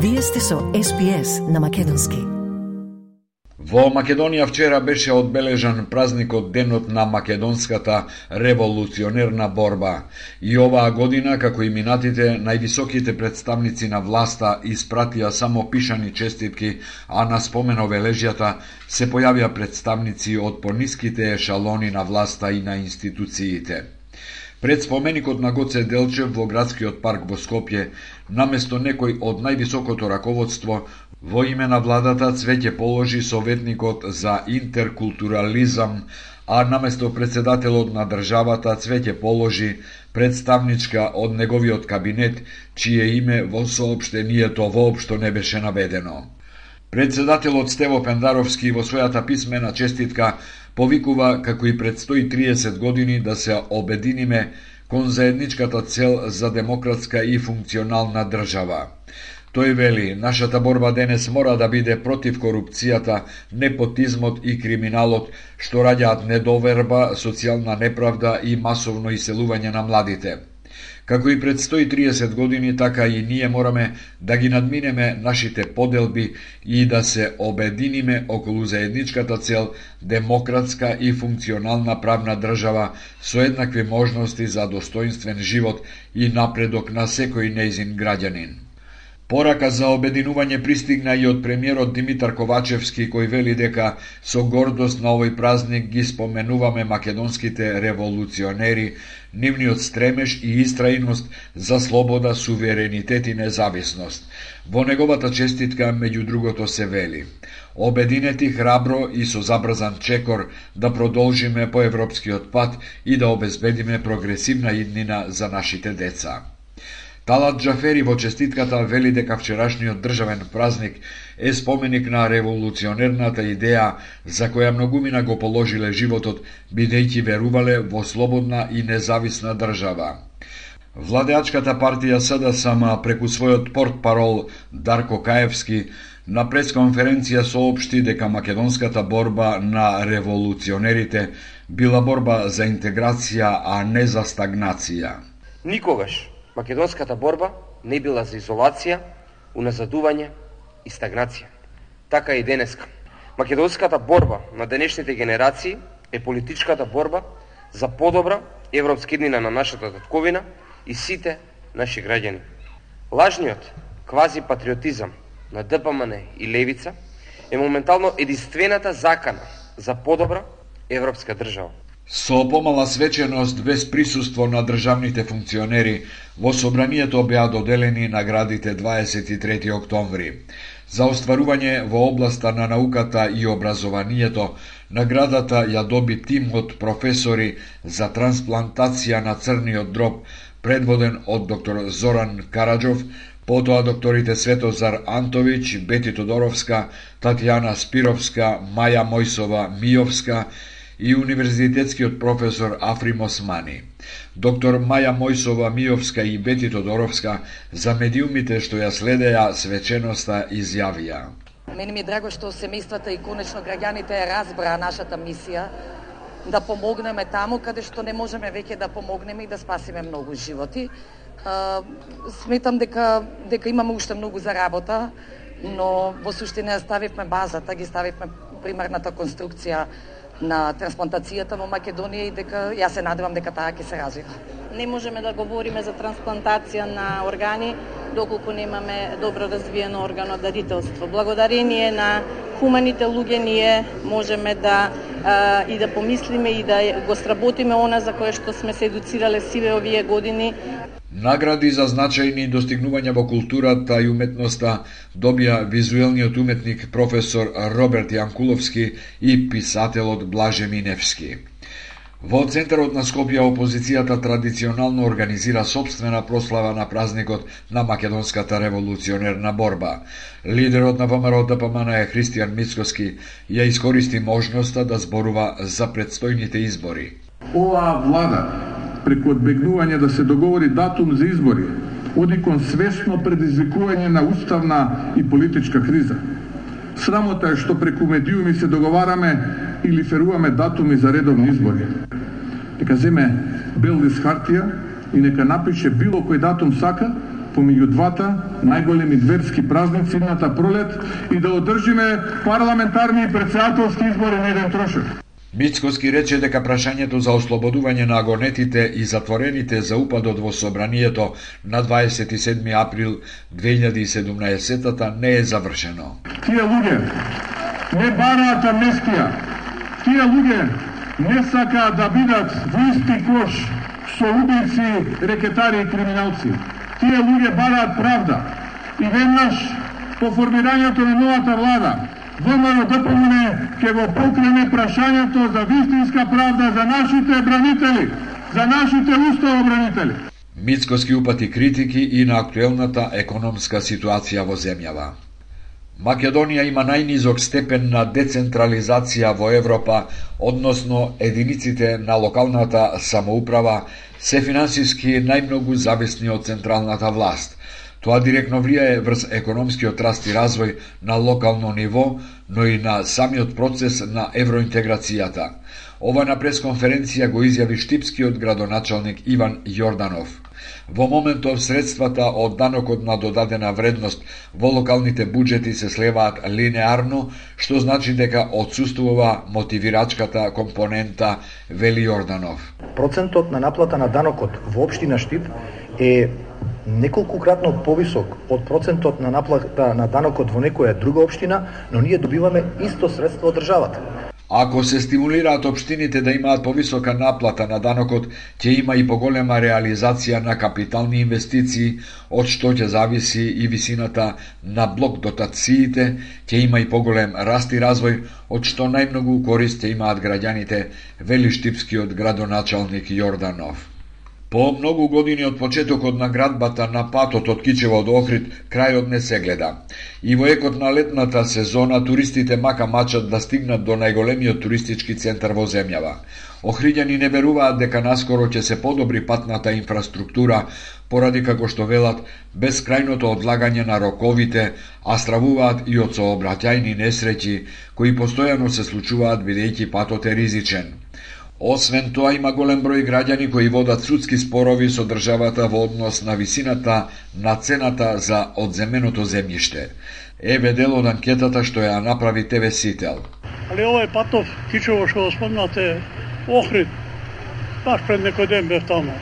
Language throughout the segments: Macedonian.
Вие сте со SPS на македонски. Во Македонија вчера беше одбележан празникот Денот на македонската револуционерна борба. И оваа година, како и минатите, највисоките представници на власта испратија само пишани честитки, а на спомен обележјата се појавија представници од пониските ешалони на власта и на институциите. Пред споменикот на Гоце Делчев во градскиот парк во Скопје, наместо некој од највисокото раководство, во име на владата цвеќе положи советникот за интеркултурализам, а наместо председателот на државата цвеќе положи представничка од неговиот кабинет, чие име во соопштението воопшто не беше наведено. Председателот Стево Пендаровски во својата писмена честитка повикува како и пред 130 години да се обединиме кон заедничката цел за демократска и функционална држава. Тој вели, нашата борба денес мора да биде против корупцијата, непотизмот и криминалот, што раѓаат недоверба, социјална неправда и масовно иселување на младите. Како и пред 130 години, така и ние мораме да ги надминеме нашите поделби и да се обединиме околу заедничката цел демократска и функционална правна држава со еднакви можности за достоинствен живот и напредок на секој нејзин граѓанин. Порака за обединување пристигна и од премиерот Димитар Ковачевски, кој вели дека со гордост на овој празник ги споменуваме македонските револуционери, нивниот стремеж и истрајност за слобода, суверенитет и независност. Во неговата честитка, меѓу другото, се вели: обединети храбро и со забрзан чекор да продолжиме по европскиот пат и да обезбедиме прогресивна иднина за нашите деца. Талат Џафери во честитката вели дека вчерашниот државен празник е споменик на револуционерната идеја за која многумина го положиле животот, бидејќи верувале во слободна и независна држава. Владеачката партија СДСМ преку својот портпарол Дарко Каевски на пресконференција соопшти дека македонската борба на револуционерите била борба за интеграција, а не за стагнација. Никогаш македонската борба не била за изолација, уназадување и стагнација. Така и денеска. Македонската борба на денешните генерации е политичката борба за подобра европска иднина на нашата татковина и сите наши граѓани. Лажниот квази-патриотизам на ДПМН и Левица е моментално единствената закана за подобра европска држава. Со помала свеченост без присуство на државните функционери, во собранието беа доделени наградите 23 октомври. За остварување во областа на науката и образованието, наградата ја доби тим од професори за трансплантација на црниот дроб, предводен од доктор Зоран Караджов, потоа докторите Светозар Антович, Бети Тодоровска, Татјана Спировска, Маја Мојсова Миовска и универзитетскиот професор Африм Османи. Доктор Маја Мојсова Миовска и Бети Тодоровска за медиумите што ја следеа свеченоста изјавија: Мене ми е драго што семејствата и конечно граѓаните разбраа нашата мисија да помогнеме таму каде што не можеме веќе да помогнеме и да спасиме многу животи. Сметам дека имаме уште многу за работа, но во суштина ставивме базата, ги ставивме примерната конструкција на трансплантацијата во Македонија и дека јас се надевам дека таа ќе се развива. Не можеме да говориме за трансплантација на органи доколку немаме добро развиено органодарителство. Благодарение на хуманите луѓе ние можеме да и да помислиме и да го сработиме она за кое што сме се едуцирале сиве овие години. Награди за значајни достигнувања во културата и уметноста добија визуелниот уметник професор Роберт Јанкуловски и писателот Блаже Миневски. Во центарот на Скопје опозицијата традиционално организира собствена прослава на празникот на македонската револуционерна борба. Лидерот на ВМРО ДПМН Христијан Мицкоски ја искористи можноста да зборува за предстојните избори. Оваа влада, преку одбегнување да се договори датум за избори, оди кон свесно предизвикување на уставна и политичка криза. Срамота е што преку медиуми се договараме или феруваме датуми за редовни избори. Нека земе бел лист хартија и нека напише било кој датум сака, помеѓу двата најголеми верски празници идната пролет и да одржиме парламентарни и председателски избори на еден трошок. Мицкоски рече дека прашањето за ослободување на агонетите и затворените за упадот во собранието на 27 април 2017 не е завршено. Тие луѓе не бараат амнестија. Тие луѓе не сакаат да бидат во исти кош со убици, рекетари и криминалци. Тие луѓе бараат правда. И веднаш по формирањето на новата влада ВМРО-ДПМН ќе го покрене прашањето за вистинска правда за нашите бранители, за нашите уставобранители. Мицкоски упати критики и на актуелната економска ситуација во земјава. Македонија има најнизок степен на децентрализација во Европа, односно единиците на локалната самоуправа се финансиски најмногу зависни од централната власт. Тоа директно влијае врз економскиот раст и развој на локално ниво, но и на самиот процес на евроинтеграцијата. Ова на пресконференција го изјави штипскиот градоначалник Иван Јорданов. Во моментов средствата од данокот на додадена вредност во локалните буџети се слеваат линеарно, што значи дека отсуствува мотивирачката компонента, вели Јорданов. Процентот на наплата на данокот во општина Штип е неколкукратно повисок од процентот на наплата на данокот во некоја друга општина, но ние добиваме исто средство од државата. Ако се стимулираат општините да имаат повисока наплата на данокот, ќе има и поголема реализација на капитални инвестиции, од што ќе зависи и висината на блок дотациите, ќе има и поголем раст и развој, од што најмногу корист ќе имаат граѓаните, вели штипскиот градоначалник Јорданов. По многу години од почетокот на градбата на патот од Кичево до Охрид, крајот не се гледа. И во екот на летната сезона туристите мака мачат да стигнат до најголемиот туристички центар во земјава. Охриѓани не веруваат дека наскоро ќе се подобри патната инфраструктура, поради како што велат безкрајното одлагање на роковите, а стравуваат и од сообраќајни несреќи кои постојано се случуваат бидејќи патот е ризичен. Освен тоа, има голем број граѓани кои водат судски спорови со државата во однос на висината на цената за одземеното земјиште. Еве дел од анкетата што ја направи ТВ Сител. Али овој патов, Кичево што го спомнате, Охрид, баш пред некој ден бев таму.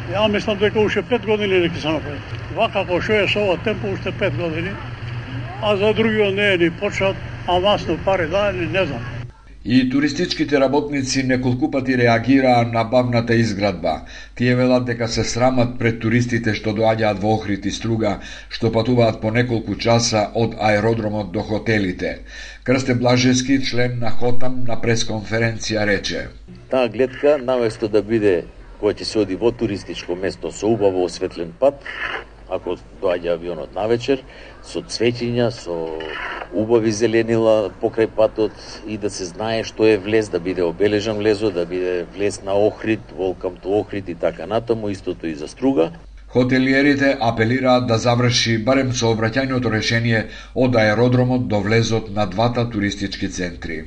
Ја мислам дека уште 5 години не ќе се направи. Вака како што е со ова темпо уште 5 години, а за другиот не е ни почнат, а масно пари дајани, не знам. И туристичките работници неколку пати реагираа на бавната изградба. Тие велат дека се срамат пред туристите што доаѓаат во Охрид и Струга, што патуваат по неколку часа од аеродромот до хотелите. Крсте Блажевски, член на ХОТАМ, на пресконференција рече: Таа гледка, наместо да биде која ќе се оди во туристичко место со убаво осветлен пат, ако доаѓа авионот навечер, со цвеќиња, со убави зеленила покрај патот и да се знае што е влез, да биде обележан влезот, да биде влез на Охрид, Welcome to Охрид и така натаму, истото и за Струга. Хотелиерите апелираат да заврши барем сообраќајното решение од аеродромот до влезот на двата туристички центри.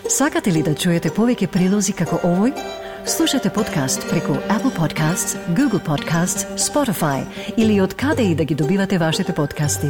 Сакате ли да чуете повеќе прилози како овој? Слушате подкаст преку Apple Podcasts, Google Podcasts, Spotify или од каде и да ги добивате вашите подкасти.